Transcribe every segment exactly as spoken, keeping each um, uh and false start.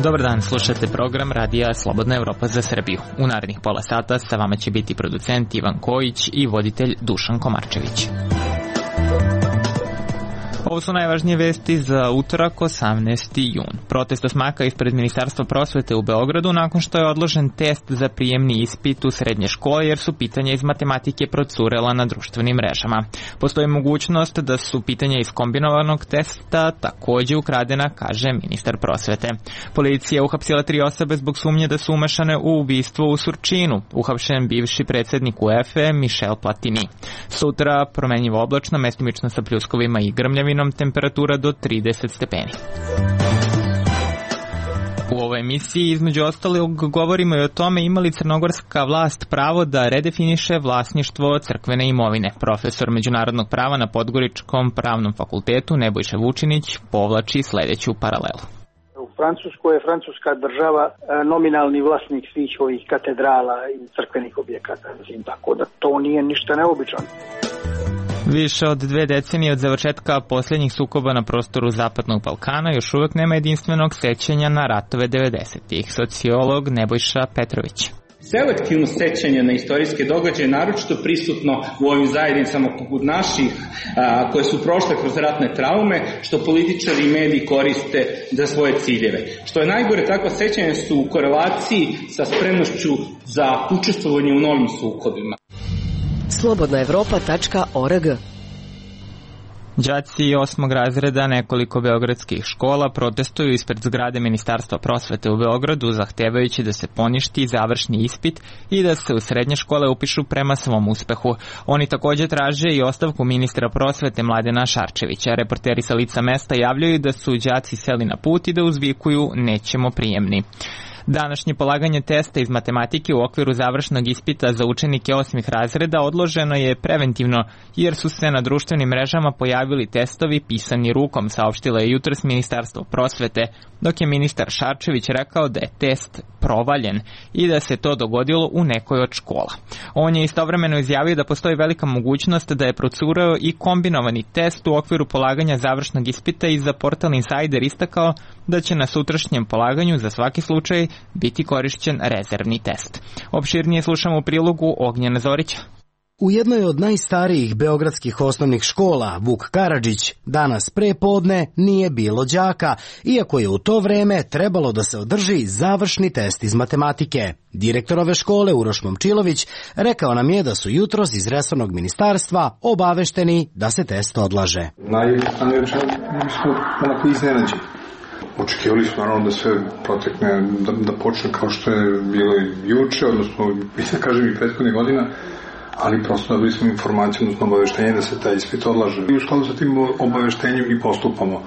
Dobar dan, slušate program Radija Slobodna Evropa za Srbiju. U narednih pola sata sa vama će biti producent Ivan Kojić i voditelj Dušan Komarčević. Ovo su najvažnije vesti za utorak, osamnaesti jun. Protest osmaka ispred Ministarstva prosvete u Beogradu nakon što je odložen test za prijemni ispit u srednje škole jer su pitanja iz matematike procurela na društvenim mrežama. Postoji mogućnost da su pitanja iz kombinovanog testa takođe ukradena, kaže ministar prosvete. Policija uhapsila tri osobe zbog sumnje da su umešane u ubistvo u Surčinu. Uhapšen bivši predsednik U E F E Michel Platini. Sutra promenljivo oblačno, mestimično sa pljuskovima i grmljavinom, temperatura do trideset stepeni. U ovoj emisiji između ostalog govorimo i o tome ima li crnogorska vlast pravo da redefiniše vlasništvo crkvene imovine. Profesor međunarodnog prava na Podgoričkom pravnom fakultetu Nebojša Vučinić povlači sledeću paralelu. U Francuskoj je francuska država nominalni vlasnik svih ovih katedrala i crkvenih objekata, tako da to nije ništa neobičano. Više od dve decenije od završetka posljednjih sukoba na prostoru Zapadnog Balkana još uvek nema jedinstvenog sećanja na ratove devedesetih. Sociolog Nebojša Petrović. Selektivno sećanje na istorijske događaje je naročito prisutno u ovim zajednicama poput naših a, koje su prošle kroz ratne traume, što političari i mediji koriste za svoje ciljeve. Što je najgore, takva sećanja su u korelaciji sa spremnošću za učestvovanje u novim sukobima. slobodna evropa tačka org. Đaci osmog razreda nekoliko beogradskih škola protestuju ispred zgrade Ministarstva prosvete u Beogradu zahtevajući da se poništi završni ispit i da se u srednje škole upišu prema svom uspehu. Oni takođe traže i ostavku ministra prosvete Mladena Šarčevića. Reporteri sa lica mesta javljaju da su đaci seli na put i da uzvikuju nećemo prijemni. Današnje polaganje testa iz matematike u okviru završnog ispita za učenike osmih razreda odloženo je preventivno jer su se na društvenim mrežama pojavili testovi pisani rukom, saopštilo je jutros Ministarstvo prosvete, dok je ministar Šarčević rekao da je test provaljen i da se to dogodilo u nekoj od škola. On je istovremeno izjavio da postoji velika mogućnost da je procurao i kombinovani test u okviru polaganja završnog ispita i za portal Insider istakao da će na sutrašnjem polaganju za svaki slučaj biti korišćen rezervni test. Opširnije slušamo u prilogu Ognjena Zorića. U jednoj od najstarijih beogradskih osnovnih škola, Vuk Karadžić, danas pre podne nije bilo đaka, iako je u to vreme trebalo da se održi završni test iz matematike. Direktor ove škole, Uroš Momčilović, rekao nam je da su jutros iz resornog ministarstva obavešteni da se test odlaže. Najjednostavnije rečeno, mi smo onako iznenađeni. Očekivali smo naravno da sve protekne, da, da počne kao što je bilo i juče, odnosno, da kažem i prethodnih godina, ali prosto dobili smo informaciju, odnosno obaveštenje da se taj ispit odlaže. I u skladu sa tim obaveštenjem i postupamo.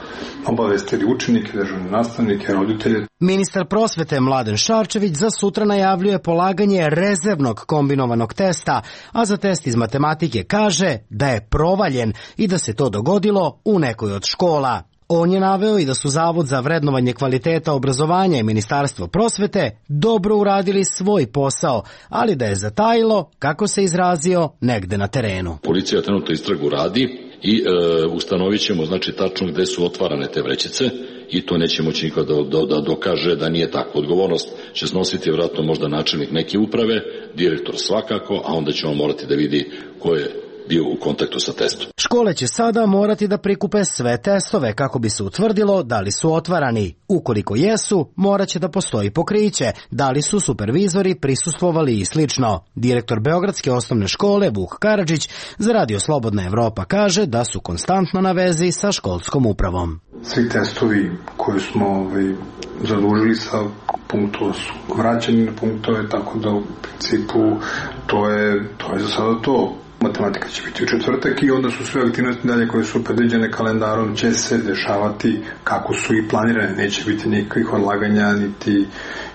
Obavestili učenike, državne nastavnike, roditelje. Ministar prosvete Mladen Šarčević za sutra najavljuje polaganje rezervnog kombinovanog testa, a za test iz matematike kaže da je provaljen i da se to dogodilo u nekoj od škola. On je naveo i da su Zavod za vrednovanje kvaliteta obrazovanja i Ministarstvo prosvete dobro uradili svoj posao, ali da je zatajilo, kako se izrazio, negde na terenu. Policija trenutno istragu radi i e, ustanovit ćemo znači tačno gde su otvarane te vrećice i to neće moći niko da, da, da dokaže da nije tako. Odgovornost će snositi vjerojatno možda načelnik neke uprave, direktor svakako, a onda ćemo morati da vidi ko je bio u kontaktu sa testom. Škole će sada morati da prikupe sve testove kako bi se utvrdilo da li su otvarani. Ukoliko jesu, morat će da postoji pokriće, da li su supervizori prisustvovali i slično. Direktor Beogradske osnovne škole Vuk Karadžić za Radio Slobodna Evropa kaže da su konstantno na vezi sa školskom upravom. Svi testovi koje smo ovaj, zadužili sa punktova su vraćani na punktove, tako da u principu to je, to je za sada to. Matematika će biti u četvrtak i onda su sve aktivnosti dalje koje su predviđene kalendarom će se dešavati kako su i planirane. Neće biti nikakvih odlaganja niti,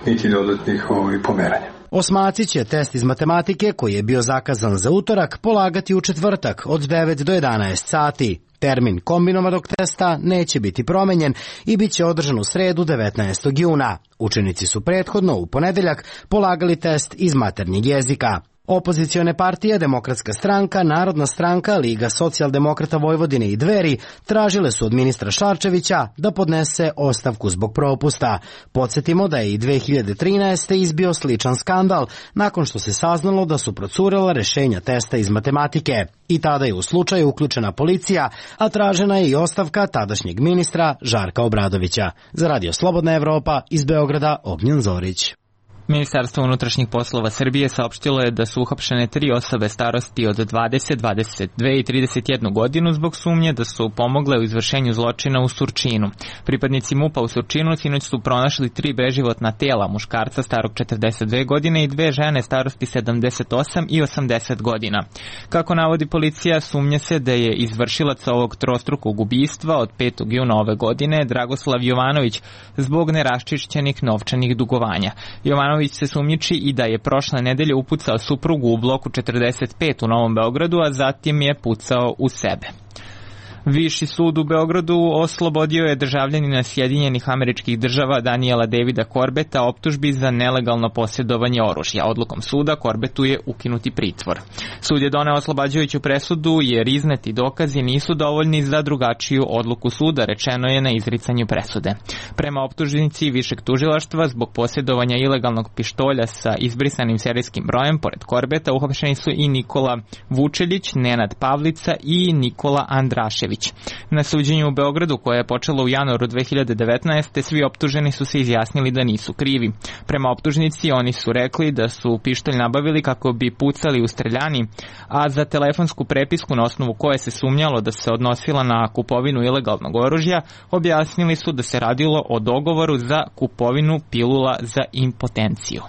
niti dodatnih ovaj, pomeranja. Osmaci će test iz matematike koji je bio zakazan za utorak polagati u četvrtak od devet do jedanaest sati. Termin kombinovanog testa neće biti promenjen i bit će održan u sredu devetnaestog juna. Učenici su prethodno u ponedeljak polagali test iz maternjeg jezika. Opozicione partije, Demokratska stranka, Narodna stranka, Liga socijaldemokrata Vojvodine i Dveri tražile su od ministra Šarčevića da podnese ostavku zbog propusta. Podsjetimo da je i dve hiljade trinaeste. izbio sličan skandal nakon što se saznalo da su procurela rešenja testa iz matematike. I tada je u slučaju uključena policija, a tražena je i ostavka tadašnjeg ministra Žarka Obradovića. Za Radio Slobodna Evropa iz Beograda, Ognjen Zorić. Ministarstvo unutrašnjih poslova Srbije saopštilo je da su uhapšene tri osobe starosti od dvadeset, dvadeset dve i trideset jednu godinu zbog sumnje da su pomogle u izvršenju zločina u Surčinu. Pripadnici MUP-a u Surčinu sinoć su pronašli tri beživotna tela, muškarca starog četrdeset dve godine i dve žene starosti sedamdeset osam i osamdeset godina. Kako navodi policija, sumnja se da je izvršilac ovog trostrukog ubistva od petog juna ove godine Dragoslav Jovanović zbog neraščišćenih novčanih dugovanja. Jovanović se sumnjiči i da je prošle nedelje upucao suprugu u bloku četrdeset pet u Novom Beogradu, a zatim je pucao u sebe. Viši sud u Beogradu oslobodio je državljanina Sjedinjenih Američkih Država Daniela Davida Korbeta optužbi za nelegalno posjedovanje oružja. Odlukom suda Korbetu je ukinuti pritvor. Sud je doneo oslobađajuću presudu jer izneti dokazi nisu dovoljni za drugačiju odluku suda, rečeno je na izricanju presude. Prema optužnici višeg tužilaštva zbog posjedovanja ilegalnog pištolja sa izbrisanim serijskim brojem, pored Korbeta uhapšeni su i Nikola Vučelić, Nenad Pavlica i Nikola Andrašević. Na suđenju u Beogradu, koje je počelo u januaru dve hiljade devetnaeste. svi optuženi su se izjasnili da nisu krivi. Prema optužnici oni su rekli da su pištolj nabavili kako bi pucali u streljani, a za telefonsku prepisku na osnovu koje se sumnjalo da se odnosila na kupovinu ilegalnog oružja, objasnili su da se radilo o dogovoru za kupovinu pilula za impotenciju.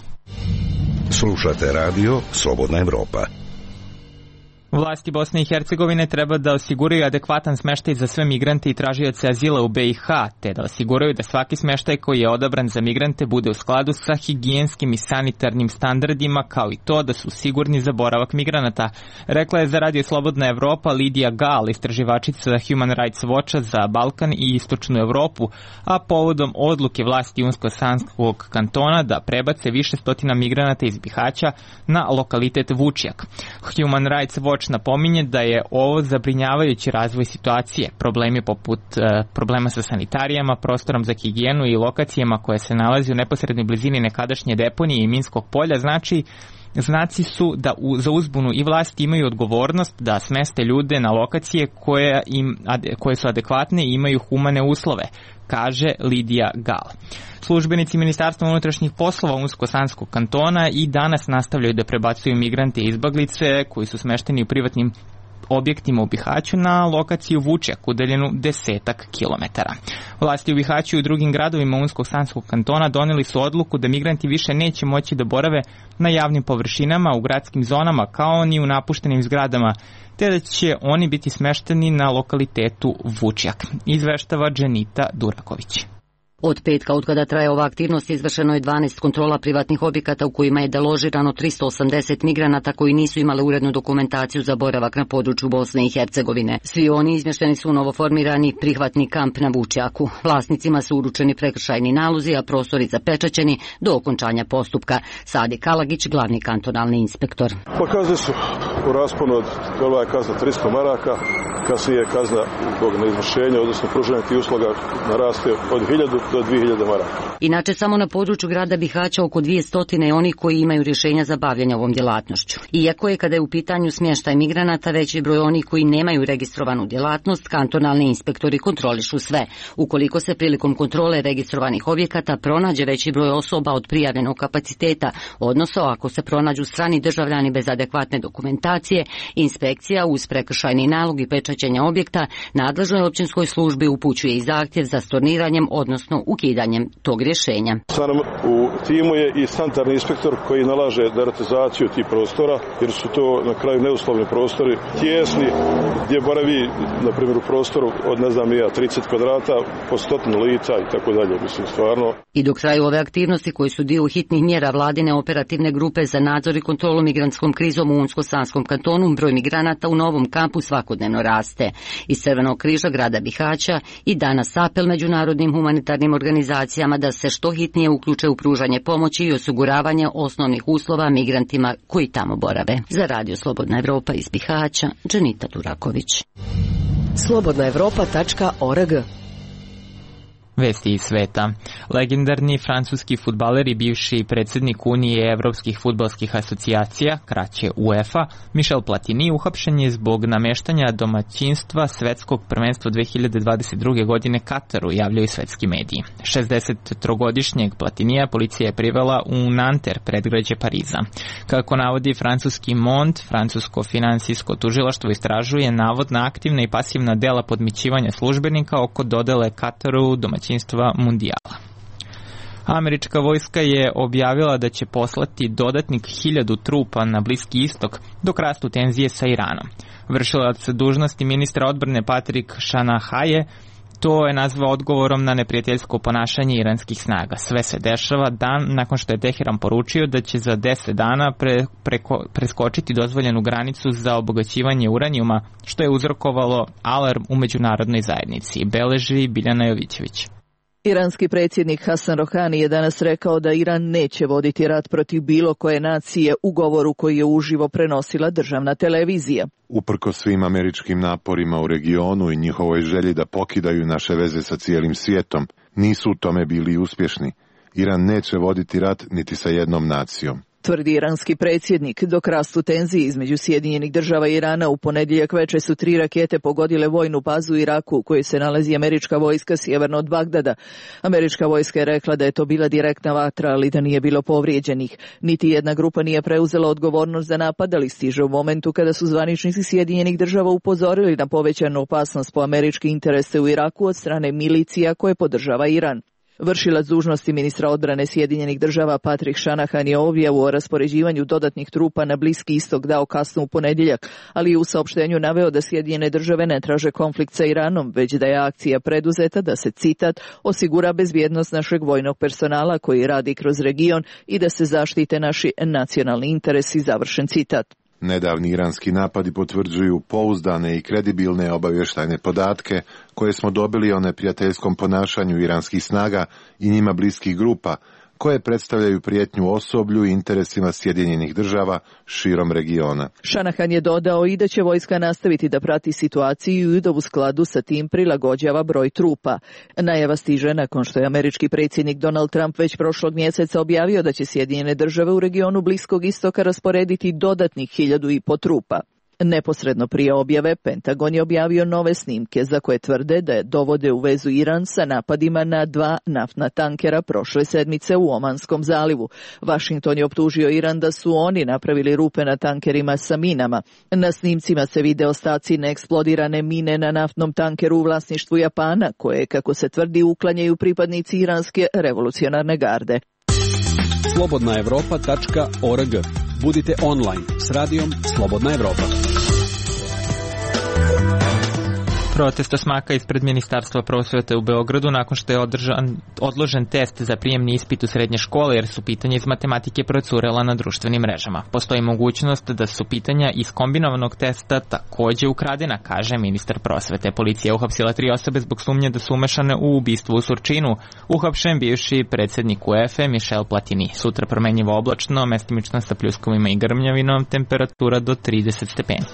Slušate radio Slobodna Evropa. Vlasti Bosne i Hercegovine treba da osiguraju adekvatan smeštaj za sve migrante i tražioce azila u be i ha, te da osiguraju da svaki smeštaj koji je odabran za migrante bude u skladu sa higijenskim i sanitarnim standardima, kao i to da su sigurni za boravak migranata, rekla je za Radio Slobodna Evropa Lidija Gal, istraživačica Human Rights Watcha za Balkan i Istočnu Evropu, a povodom odluke vlasti Unsko-Sanskog kantona da prebace više stotina migranata iz Bihaća na lokalitet Vučjak. Human Rights Watch napominje da je ovo zabrinjavajući razvoj situacije. Problemi poput e, problema sa sanitarijama, prostorom za higijenu i lokacijama koje se nalazi u neposrednoj blizini nekadašnje deponije i minskog polja znači Znaci su da u, za uzbunu i vlasti imaju odgovornost da smeste ljude na lokacije koje, im, ade, koje su adekvatne i imaju humane uslove, kaže Lidija Gal. Službenici Ministarstva unutrašnjih poslova Unsko-Sanskog kantona i danas nastavljaju da prebacuju migrante i izbeglice koji su smešteni u privatnim objektima u Bihaću na lokaciju Vučjak, udaljenu desetak kilometara. Vlasti u Bihaću i u drugim gradovima Unsko-Sanskog kantona doneli su odluku da migranti više neće moći da borave na javnim površinama, u gradskim zonama, kao ni u napuštenim zgradama, te da će oni biti smešteni na lokalitetu Vučjak, izveštava Dženita Duraković. Od petka, od kada traje ova aktivnost, izvršeno je dvanaest kontrola privatnih objekata u kojima je deložirano tristo osamdeset migranata koji nisu imali urednu dokumentaciju za boravak na području Bosne i Hercegovine. Svi oni izmješteni su u novoformirani prihvatni kamp na Vučjaku. Vlasnicima su uručeni prekršajni nalozi, a prostori zapečaćeni do okončanja postupka. Sadi Kalagić, glavni kantonalni inspektor. Pa kazne su u rasponu od, prva je kazna tristo maraka, kasnije je kazna zbog neizvršenja, odnosno pružanja tih usluga naraste od hiljadu do dvije hiljade maraka. Inače, samo na području grada Bihaća oko dvjesto je oni koji imaju rješenja za bavljanje ovom djelatnošću. Iako je kada je u pitanju smještaj migranata veći broj onih koji nemaju registrovanu djelatnost, kantonalni inspektori kontrolišu sve. Ukoliko se prilikom kontrole registrovanih objekata pronađe veći broj osoba od prijavljenog kapaciteta, odnosno ako se pronađu strani državljani bez adekvatne dokumentacije, inspekcija uz prekršajni nalog i pečaćenja objekta nadležnoj općinskoj službi upućuje i zahtjev za storniranjem, odnosno ukidanjem tog rješenja. Sa nam u timu je i sanitarni inspektor koji nalaže deratizaciju tih prostora, jer su to na kraju neuslovni prostori, tijesni, gdje boravi, na primjer, u prostoru od, ne znam, ja, trideset kvadrata, po stotinu lica i tako dalje, mislim, stvarno. I dok traju ove aktivnosti koji su dio hitnih mjera vladine operativne grupe za nadzor i kontrolu migrantskom krizom u Unsko-Sanskom Bihaćkom kantonu broj migranata u novom kampu svakodnevno raste. Iz Crvenog križa grada Bihaća i danas apel međunarodnim humanitarnim organizacijama da se što hitnije uključe u pružanje pomoći i osiguravanje osnovnih uslova migrantima koji tamo borave. Za Radio Slobodna Evropa iz Bihaća, Dženita Duraković. slobodna evropa tačka org. Vesti iz sveta. Legendarni francuski fudbaler i bivši predsjednik Unije evropskih fudbalskih asocijacija, kraće UEFA, Michel Platini, uhapšen je zbog nameštanja domaćinstva svetskog prvenstva dve hiljade dvadeset druge. godine Kataru, javljaju svetski mediji. šezdesettrogodišnjeg Platinija policija je privela u Nanter, predgrađe Pariza. Kako navodi francuski Monde, francusko finansijsko tužilaštvo istražuje navodna aktivna i pasivna dela podmićivanja službenika oko dodele Kataru domaćinstva mundijala. Američka vojska je objavila da će poslati dodatnih hiljadu trupa na Bliski istok dok rastu tenzije sa Iranom. Vršilac dužnosti ministra odbrane Patrick Shanahaye to je nazvao odgovorom na neprijateljsko ponašanje iranskih snaga. Sve se dešava dan nakon što je Teheran poručio da će za deset dana pre, preko, preskočiti dozvoljenu granicu za obogaćivanje uranijuma, što je uzrokovalo alarm u međunarodnoj zajednici, beleži Biljana Jovićević. Iranski predsjednik Hasan Rohani je danas rekao da Iran neće voditi rat protiv bilo koje nacije u govoru koji je uživo prenosila državna televizija. Uprkos svim američkim naporima u regionu i njihovoj želji da pokidaju naše veze sa cijelim svijetom, nisu u tome bili uspješni. Iran neće voditi rat niti sa jednom nacijom, tvrdi iranski predsjednik. Dok rastu tenzije između Sjedinjenih država i Irana, u ponedjeljak večer su tri rakete pogodile vojnu bazu u Iraku u kojoj se nalazi američka vojska sjeverno od Bagdada. Američka vojska je rekla da je to bila direktna vatra, ali da nije bilo povrijeđenih. Niti jedna grupa nije preuzela odgovornost za napad, ali stiže u momentu kada su zvaničnici Sjedinjenih država upozorili na povećanu opasnost po američke interese u Iraku od strane milicija koje podržava Iran. Vršilac dužnosti ministra odbrane Sjedinjenih država Patrick Shanahan je objavu o raspoređivanju dodatnih trupa na Bliski istok dao kasno u ponedjeljak, ali je u saopštenju naveo da Sjedinjene države ne traže konflikt sa Iranom, već da je akcija preduzeta da se, citat, osigura bezbjednost našeg vojnog personala koji radi kroz region i da se zaštite naši nacionalni interesi, završen citat. Nedavni iranski napadi potvrđuju pouzdane i kredibilne obavještajne podatke koje smo dobili o neprijateljskom ponašanju iranskih snaga i njima bliskih grupa, koje predstavljaju prijetnju osoblju i interesima Sjedinjenih država širom regiona. Shanahan je dodao i da će vojska nastaviti da prati situaciju i da u skladu sa tim prilagođava broj trupa. Najava stiže nakon što je američki predsjednik Donald Trump već prošlog mjeseca objavio da će Sjedinjene države u regionu Bliskog istoka rasporediti dodatnih hiljadu i po trupa. Neposredno prije objave, Pentagon je objavio nove snimke za koje tvrde da je dovode u vezu Iran sa napadima na dva naftna tankera prošle sedmice u Omanskom zalivu. Washington je optužio Iran da su oni napravili rupe na tankerima sa minama. Na snimcima se vide ostaci neeksplodirane mine na naftnom tankeru u vlasništvu Japana, koje, kako se tvrdi, uklanjaju pripadnici iranske revolucionarne garde. slobodna evropa tačka org. Budite online s radijom Slobodna Evropa. Protesta smaka ispred Ministarstva prosvete u Beogradu nakon što je održan, odložen test za prijemni ispit u srednje škole jer su pitanja iz matematike procurela na društvenim mrežama. Postoji mogućnost da su pitanja iz kombinovanog testa takođe ukradena, kaže ministar prosvete. Policija je uhapsila tri osobe zbog sumnje da su umešane u ubistvo u Surčinu. Uhapšen bivši predsjednik UEFA Michel Platini. Sutra promenjivo oblačno, mestimično sa pljuskovima i grmljavinom, temperatura do trideset stepeni.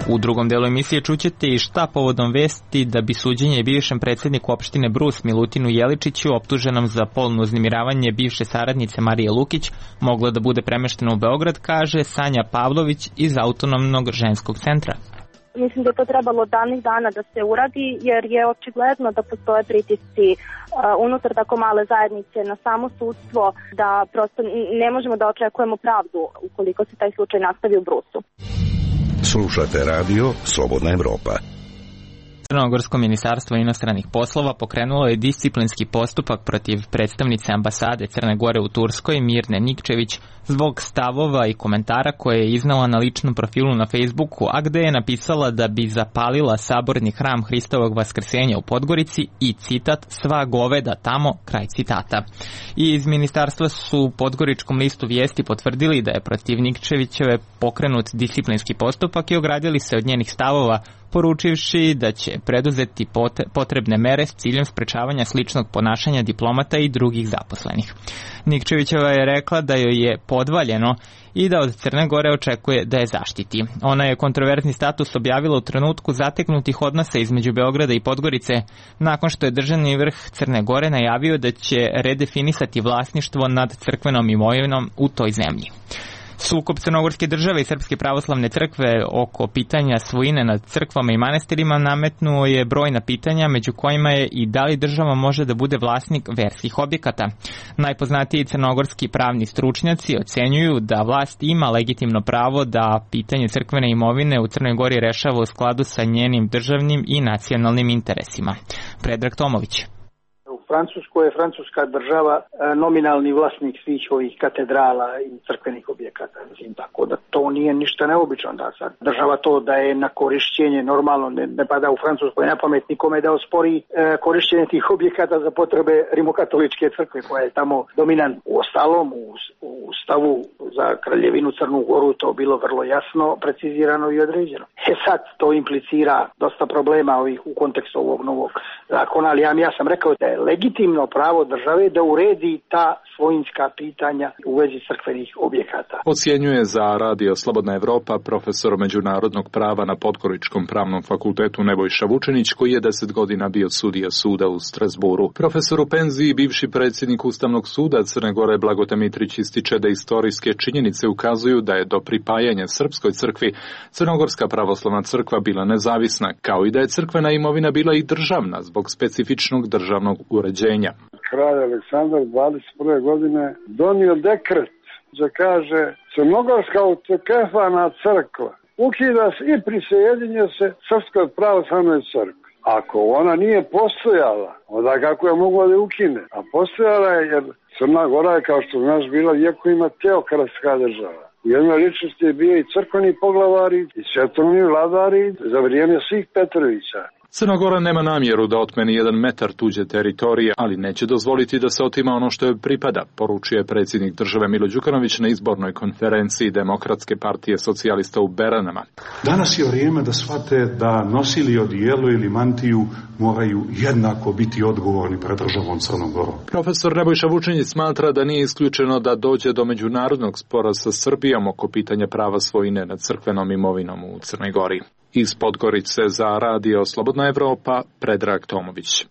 U drugom delu emisije čućete i šta povodom vesti da bi suđenje bivšem predsjedniku opštine Brus Milutinu Jeličiću, optuženom za polno uznemiravanje bivše saradnice Marije Lukić, moglo da bude premešteno u Beograd, kaže Sanja Pavlović iz Autonomnog ženskog centra. Mislim da je to trebalo davnih dana da se uradi, jer je očigledno da postoje pritisci uh, unutar tako male zajednice na samo sudstvo, da prosto ne možemo da očekujemo pravdu ukoliko se taj slučaj nastavi u Brusu. Slušate radio Slobodna Evropa. Crnogorsko ministarstvo inostranih poslova pokrenulo je disciplinski postupak protiv predstavnice ambasade Crne Gore u Turskoj Mirne Nikčević zbog stavova i komentara koje je iznala na ličnom profilu na Facebooku, a gde je napisala da bi zapalila saborni hram Hristovog vaskrsenja u Podgorici i citat sva goveda tamo, kraj citata. I iz ministarstva su Podgoričkom listu Vijesti potvrdili da je protiv Nikčevićeve pokrenut disciplinski postupak i ogradili se od njenih stavova, poručivši da će preduzeti potrebne mere s ciljem sprečavanja sličnog ponašanja diplomata i drugih zaposlenih. Nikčevićeva je rekla da joj je podvaljeno i da od Crne Gore očekuje da je zaštiti. Ona je kontroverzni status objavila u trenutku zateknutih odnosa između Beograda i Podgorice, nakon što je državni vrh Crne Gore najavio da će redefinisati vlasništvo nad crkvenom imovinom u toj zemlji. Sukob Crnogorske države i Srpske pravoslavne crkve oko pitanja svojine nad crkvama i manastirima nametnuo je brojna pitanja, među kojima je i da li država može da bude vlasnik verskih objekata. Najpoznatiji crnogorski pravni stručnjaci ocenjuju da vlast ima legitimno pravo da pitanje crkvene imovine u Crnoj Gori rešava u skladu sa njenim državnim i nacionalnim interesima. Predrag Tomović. U Francuskoj je francuska država nominalni vlasnik svih ovih katedrala i crkvenih objekata. Mislim, tako da to nije ništa neobično da sad država to da je na korišćenje normalno, ne, ne pada u Francuskoj na pamet nikome da ospori e, korišćenje tih objekata za potrebe rimokatoličke crkve koja je tamo dominant. U ostalom, u, u stavu za Kraljevinu Crnu Goru to bilo vrlo jasno, precizirano i određeno. E sad to implicira dosta problema ovih u kontekstu ovog novog zakona, ali ja, ja sam rekao da je legitimno pravo države da uredi ta svojinska pitanja u vezi crkvenih objekata. Ocjenjuje za Radio Slobodna Evropa profesor međunarodnog prava na Podgoričkom pravnom fakultetu Nebojša Vučenić, koji je deset godina bio sudija suda u Strasburu. Profesor u penziji, bivši predsjednik Ustavnog suda Crne Gore Blagote Mitrić ističe da istorijske činjenice ukazuju da je do pripajanja Srpskoj crkvi Crnogorska pravoslavna crkva bila nezavisna, kao i da je crkvena imovina bila i državna zbog specifičnog državnog uređenja. Kralj Aleksandar dvadeset prve godine donio dekret da kaže Crnogorska autokefalna crkva ukida se i prisjedinje se Srpskoj pravoslavnoj crkvi. Ako ona nije postojala, onda kako je mogla da ukine? A postojala je jer Crna Gora je, kao što znaš, bila vjekovima teokratska država. U jednoj ličnosti je bio i crkveni poglavari i svetovni vladari za vrijeme svih Petrovića. Crna Gora nema namjeru da otmeni jedan metar tuđe teritorije, ali neće dozvoliti da se otima ono što joj pripada, poručuje predsjednik države Milo Đukanović na izbornoj konferenciji Demokratske partije socijalista u Beranama. Danas je vrijeme da shvate da nosili odijelo ili mantiju moraju jednako biti odgovorni pred državom Crnom Gorom. Profesor Nebojša Vučenić smatra da nije isključeno da dođe do međunarodnog spora sa Srbijom oko pitanja prava svojine nad crkvenom imovinom u Crnoj Gori. Iz Podgorice za Radio Slobodna Evropa, Predrag Tomović.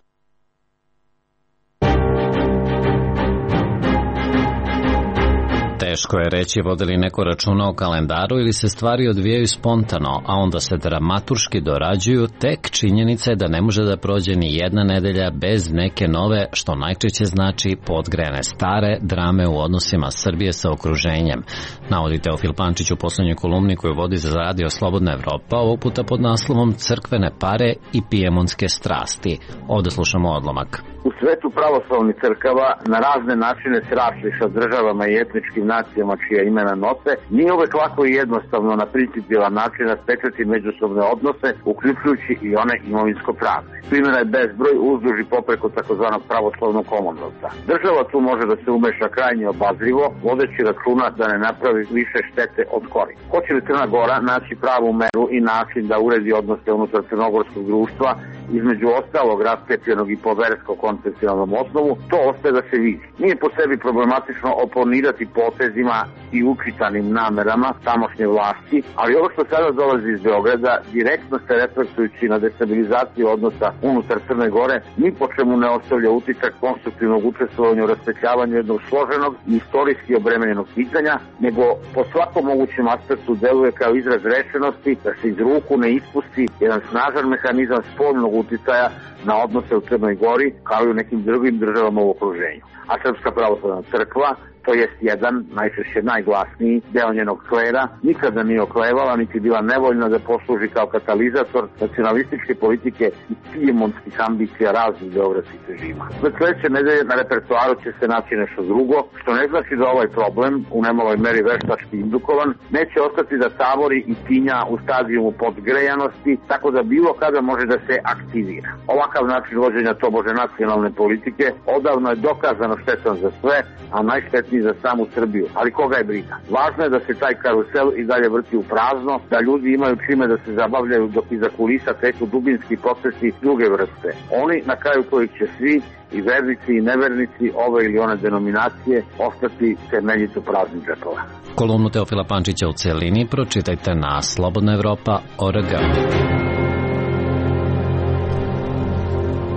Teško je reći vode li neko računa o kalendaru ili se stvari odvijaju spontano, a onda se dramaturški dorađuju, tek činjenica je da ne može da prođe ni jedna nedelja bez neke nove, što najčešće znači podgrejane stare drame u odnosima Srbije sa okruženjem. Navodi Teofil Pančić u poslednjoj kolumni koju vodi za Radio Slobodna Evropa, ovog puta pod naslovom Crkvene pare i pijemonske strasti. Ovde slušamo odlomak. U svetu pravoslavnih crkava na razne načine se rašli sa državama i etničkim nacijama čija imena nose, nije uvek lako i jednostavno na principijelan način raspečati međusobne odnose, uključujući i one imovinsko-pravne. Primjera je bezbroj uzduž i popreko takozvanog pravoslavnog Commonwealtha. Država tu može da se umeša krajnje obazrivo, vodeći računa da ne napravi više štete od koristi. Hoće li Crna Gora naći pravu meru i način da uredi odnose unutar crnogorskog društva, između ostalog raskepljenog i po versko-konfesionalnom osnovu, to ostaje da se vidi. Nije po sebi problematično oponirati potezima i učitanim namerama tamošnje vlasti, ali ovo što sada dolazi iz Beograda, direktno se reflektujući na destabilizaciju odnosa unutar Crne Gore, ni po čemu ne ostavlja utisak konstruktivnog učestvovanja u raspetljavanju jednog složenog i istorijski obremenjenog pitanja, nego po svakom mogućem aspektu deluje kao izraz rešenosti da se iz ruku ne ispusti jedan snažan mehanizam spoljnog uticaja na odnose u Crnoj Gori kao i u nekim drugim državama u okruženju. A Srpska pravoslavna crkva, to jest jedan, najčešće najglasniji deo njenog klera, nikada nije oklevala, niti bila nevoljna da posluži kao katalizator nacionalističke politike i pijemontskih ambicija raznih beogradskih režima. Za sledeće nedelje na repertoaru će se naći nešto drugo, što ne znači da ovaj problem, u nemaloj meri veštački indukovan, neće ostati da tavori i tinja u stadijumu podgrejanosti, tako da bilo kada može da se aktivira. Ovakav način vođenja tobože nacionalne politike odavno je dokazano štetan za sve, a najštetniji za samu Srbiju, ali koga je briga. Važno je da se taj karusel i dalje vrti u prazno, da ljudi imaju čime da se zabavljaju dok iza kulisa teku dubinski procesi druge vrste. Oni na kraju kojih će svi, i vernici i nevernici ove ili one denominacije, ostati temeljito prazni džepova. Kolumnu Teofila Pančića u celini pročitajte na slobodna evropa tačka org.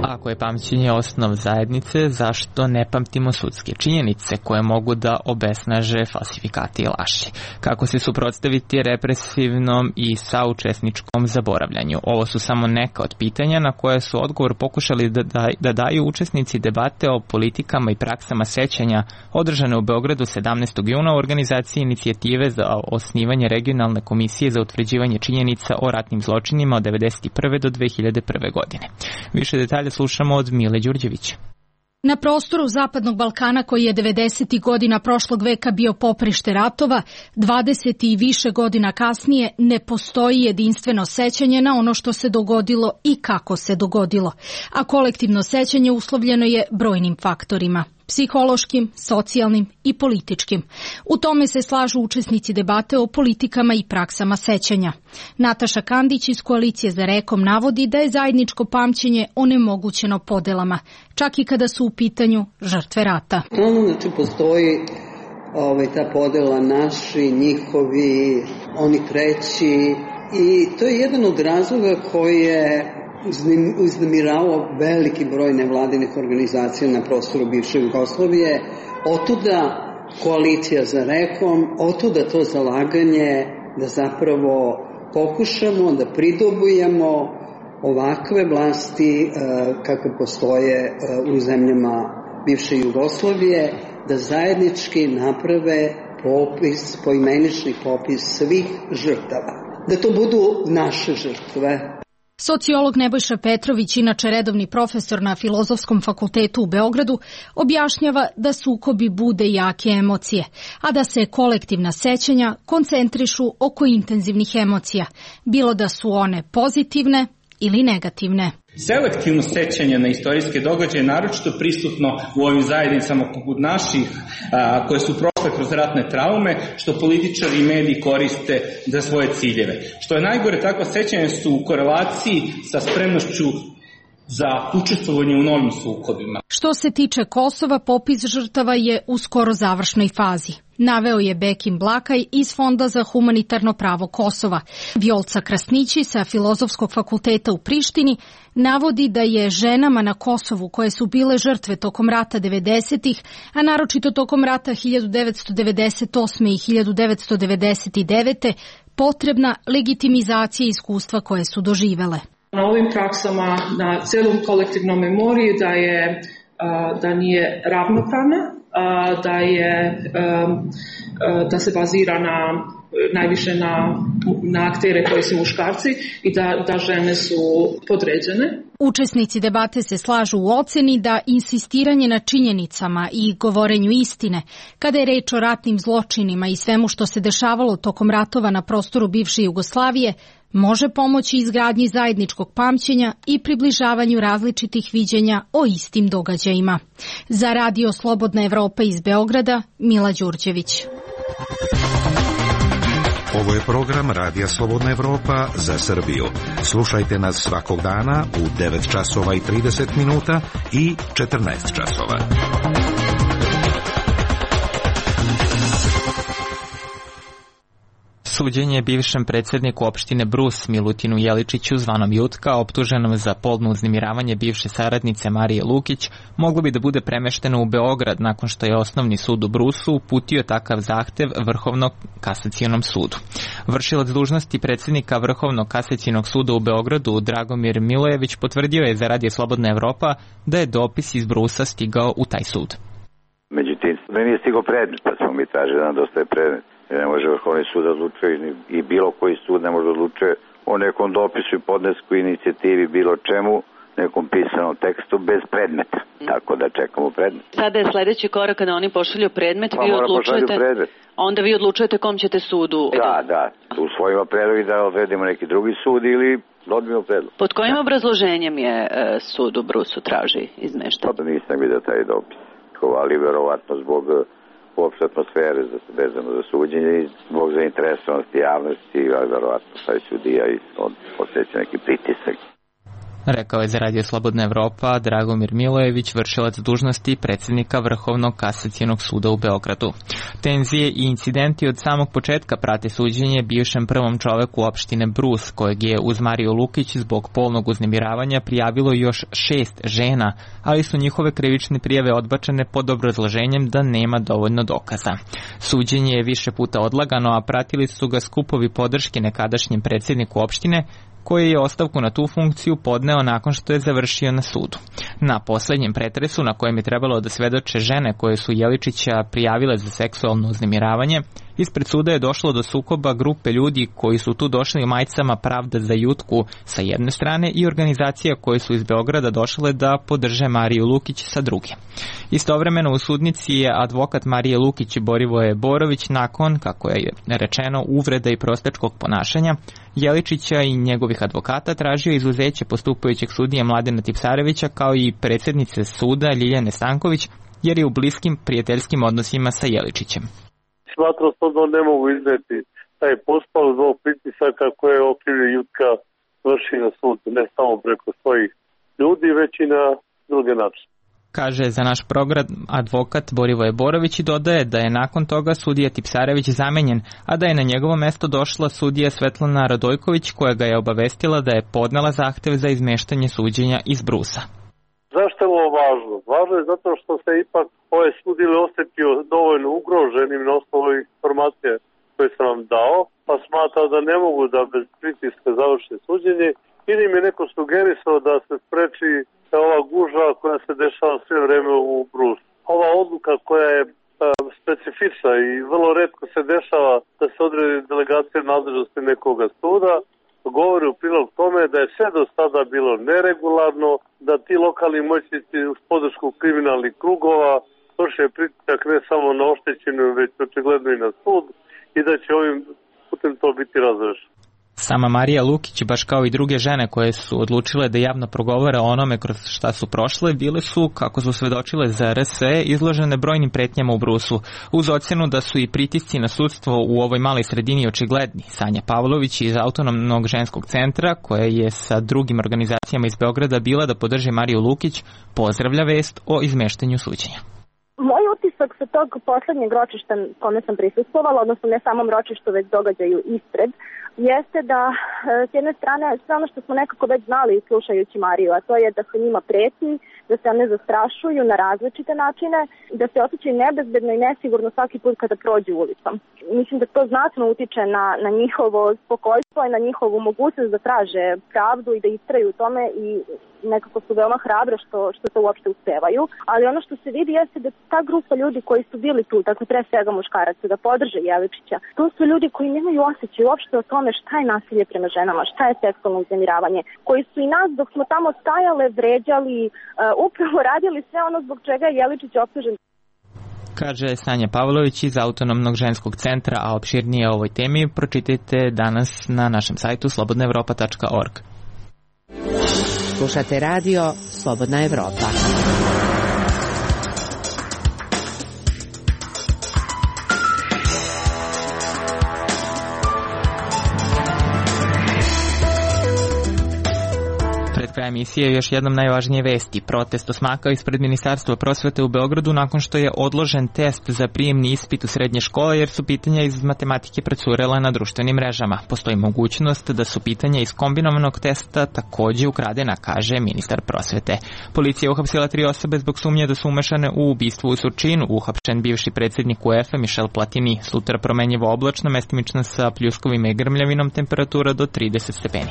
Ako je pamćenje osnov zajednice, zašto ne pamtimo sudske činjenice koje mogu da obesnaže falsifikati i laži? Kako se suprotstaviti represivnom i saučesničkom zaboravljanju? Ovo su samo neka od pitanja na koje su odgovor pokušali da, da, da daju učesnici debate o politikama i praksama sećanja održane u Beogradu sedamnaestog juna u organizaciji inicijative za osnivanje regionalne komisije za utvrđivanje činjenica o ratnim zločinima od devedeset prve do dve hiljade prve. godine. Više detalja slušamo od Mile Đurđevića. Na prostoru Zapadnog Balkana, koji je devedesetih godina prošlog veka bio poprište ratova, dvadeset i više godina kasnije ne postoji jedinstveno sećanje na ono što se dogodilo i kako se dogodilo, a kolektivno sećanje uslovljeno je brojnim faktorima. Psihološkim, socijalnim i političkim. U tome se slažu učesnici debate o politikama i praksama sećanja. Nataša Kandić iz Koalicije za rekom navodi da je zajedničko pamćenje onemogućeno podelama, čak i kada su u pitanju žrtve rata. Ono, znači, postoji ovaj, ta podela naši, njihovi, oni treći i to je jedan od razloga koji je uznemiravao veliki broj nevladinih organizacija na prostoru bivše Jugoslavije. Otuda Koalicija za rekom, otuda to zalaganje da zapravo pokušamo da pridobujemo ovakve vlasti kakve postoje u zemljama bivše Jugoslavije, da zajednički naprave popis, poimenični popis svih žrtava. Da to budu naše žrtve. Sociolog Nebojša Petrović, inače redovni profesor na Filozofskom fakultetu u Beogradu, objašnjava da sukobi bude jake emocije, a da se kolektivna sećanja koncentrišu oko intenzivnih emocija, bilo da su one pozitivne ili negativne. Selektivno sećanje na istorijske događaje naročito prisutno u ovim zajednicama poput naših, a, koje su prošle kroz ratne traume, što političari i mediji koriste za svoje ciljeve. Što je najgore, takva sećanja su u korelaciji sa spremnošću za učestvovanje u novim sukobima. Što se tiče Kosova, popis žrtava je u skoro završnoj fazi. Naveo je Bekim Blakaj iz Fonda za humanitarno pravo Kosova. Vjolca Krasnići sa Filozofskog fakulteta u Prištini navodi da je ženama na Kosovu koje su bile žrtve tokom rata devedesetih, a naročito tokom rata hiljadu devetsto devedeset osme i hiljadu devetsto devedeset devete potrebna legitimizacija iskustva koje su doživele. Na ovim praksama, na celom kolektivnom memoriji da je da nije ravnopravna, da je da se bazira na najviše na, na aktere koji su muškarci i da, da žene su podređene. Učesnici debate se slažu u oceni da insistiranje na činjenicama i govorenju istine, kada je reč o ratnim zločinima i svemu što se dešavalo tokom ratova na prostoru bivše Jugoslavije, može pomoći izgradnji zajedničkog pamćenja i približavanju različitih viđenja o istim događajima. Za Radio Slobodna Evropa iz Beograda, Mila Đurđević. Ovo je program Radija Slobodna Evropa za Srbiju. Slušajte nas svakog dana u devet časova i trideset minuta i četrnaest časova. Suđenje bivšem predsjedniku opštine Brus Milutinu Jeličiću zvanom Jutka, optuženom za polno uznemiravanje bivše saradnice Marije Lukić, moglo bi da bude premešteno u Beograd nakon što je Osnovni sud u Brusu uputio takav zahtev Vrhovnom kasacionom sudu. Vršilac dužnosti predsjednika Vrhovnog kasacionog suda u Beogradu Dragomir Milojević potvrdio je za Radio Slobodna Evropa da je dopis iz Brusa stigao u taj sud. Međutim, meni je stigao predmet, pa smo mi tražili da nam dostaje predmet. Ne može Vrhovni sud da odlučuje i bilo koji sud ne može da odlučuje o nekom dopisu i podnesku inicijativi, bilo čemu, nekom pisanom tekstu bez predmeta. Tako da čekamo predmet. Sada je sledeći korak kada oni pošalju predmet, pa vi odlučujete, predmet. Onda vi odlučujete kom ćete sudu. Da, da, usvojimo predlog i da odredimo neki drugi sud ili odbijemo predlog. Pod kojim obrazloženjem je e, sud u Brusu traži izmeštanje? Pa nisam vidio taj dopis, ali verovatno zbog uopšte atmosfere vezano za suđenje i zbog zainteresovanosti javnosti, ali verovatno taj sudija i on osjeća neki pritisak. Rekao je za Radio Slobodna Evropa Dragomir Milojević, vršilac dužnosti predsjednika Vrhovnog kasacionog suda u Beogradu. Tenzije i incidenti od samog početka prate suđenje bivšem prvom čoveku opštine Brus, kojeg je uz Mariju Lukić zbog polnog uznemiravanja prijavilo još šest žena, ali su njihove krivične prijave odbačene pod obrazloženjem da nema dovoljno dokaza. Suđenje je više puta odlagano, a pratili su ga skupovi podrške nekadašnjem predsjedniku opštine, koji je ostavku na tu funkciju podneo nakon što je završio na sudu. Na poslednjem pretresu, na kojem je trebalo da svedoče žene koje su Jeličića prijavile za seksualno uznemiravanje, ispred suda je došlo do sukoba grupe ljudi koji su tu došli u majicama Pravda za Jutku sa jedne strane i organizacija koje su iz Beograda došle da podrže Mariju Lukić sa druge. Istovremeno u sudnici je advokat Marije Lukić Borivoje Borović nakon, kako je rečeno, uvreda i prostečkog ponašanja Jeličića i njegovih advokata tražio izuzeće postupajućeg sudije Mladena Tipsarevića kao i predsjednice suda Ljiljane Stanković jer je u bliskim prijateljskim odnosima sa Jeličićem. Smatram da ne mogu izneti taj pospao zbog pritisaka koje je okrivio Jutka vrši na sud, ne samo preko svojih ljudi, već i na druge načine. Kaže za naš program advokat Borivoje Borović i dodaje da je nakon toga sudija Tipsarević zamenjen, a da je na njegovo mesto došla sudija Svetlana Radojković koja ga je obavestila da je podnela zahtev za izmeštanje suđenja iz Brusa. Zašto je ovo važno? Važno je zato što se ipak ovaj sud ili osetio dovoljno ugroženim na osnovu informacije koje sam vam dao, pa smatra da ne mogu da bez pritiska završe suđenje ili mi je neko sugerisao da se spreči ova gužva koja se dešava sve vreme u Brusu. Ova odluka koja je specifična i vrlo retko se dešava da se odredi delegacija nadležnosti nekoga suda, govori u prilog tome da je sve do sada bilo neregularno, da ti lokalni moćnici uz podršku kriminalnih krugova vrše pritisak ne samo na oštećenu, već očigledno i na sud i da će ovim putem to biti razrešeno. Sama Marija Lukić, baš kao i druge žene koje su odlučile da javno progovore o onome kroz šta su prošle, bile su, kako su svedočile za R S E, izložene brojnim pretnjama u Brusu, uz ocjenu da su i pritisci na sudstvo u ovoj maloj sredini očigledni. Sanja Pavlović iz Autonomnog ženskog centra, koja je sa drugim organizacijama iz Beograda bila da podrži Mariju Lukić, pozdravlja vest o izmeštanju suđenja. Moj utisak sa tog poslednjeg ročišta kome sam prisustvovala, odnosno ne samom ročištu, već događaju ispred, jeste da s jedne strane sve ono što smo nekako već znali slušajući Mariju, a to je da se njima preti, da se one zastrašuju na različite načine, da se osjećaju nebezbedno i nesigurno svaki put kada prođu ulicom. Mislim da to znatno utiče na, na njihovo spokojstvo i na njihovu mogućnost da traže pravdu i da istraju u tome i nekako su veoma hrabre što, što to uopšte uspevaju. Ali ono što se vidi jeste da ta grupa ljudi koji su bili tu, dakle pre svega muškaraca, da podrže Jeličića, to su ljudi koji nemaju osjećaj uopšte o tome šta je nasilje prema ženama, šta je seksualno uznemiravanje, koji su i nas dok smo tamo stajale, vređali, uh, upravo radili sve ono zbog čega je Jeličić optužen. Kaže Sanja Pavlović iz Autonomnog ženskog centra, a opširnije o ovoj temi pročitajte danas na našem sajtu slobodna evropa tačka org. Slušate radio Slobodna Evropa. Pred kraj kraja emisije još jednom najvažnije vesti. Protest osmaka ispred Ministarstva prosvete u Beogradu nakon što je odložen test za prijemni ispit u srednje škole jer su pitanja iz matematike procurela na društvenim mrežama. Postoji mogućnost da su pitanja iz kombinovanog testa takođe ukradena, kaže ministar prosvete. Policija je uhapsila tri osobe zbog sumnje da su umešane u ubistvo u Surčinu. Uhapšen bivši predsjednik U E F A Michel Platini. Sutra promenjivo oblačno, mestimično sa pljuskovima i grmljavinom, temperatura do trideset stepeni.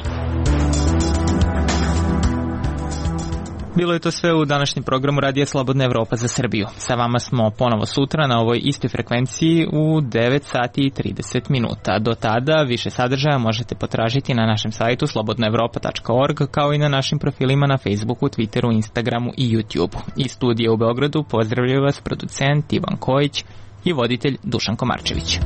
Bilo je to sve u današnjem programu Radija Slobodna Evropa za Srbiju. Sa vama smo ponovo sutra na ovoj istoj frekvenciji u devet sati i trideset minuta. Do tada više sadržaja možete potražiti na našem sajtu slobodna evropa tačka org kao i na našim profilima na Facebooku, Twitteru, Instagramu i YouTubeu. Iz studija u Beogradu pozdravljaju vas producent Ivan Kojić i voditelj Dušan Komarčević.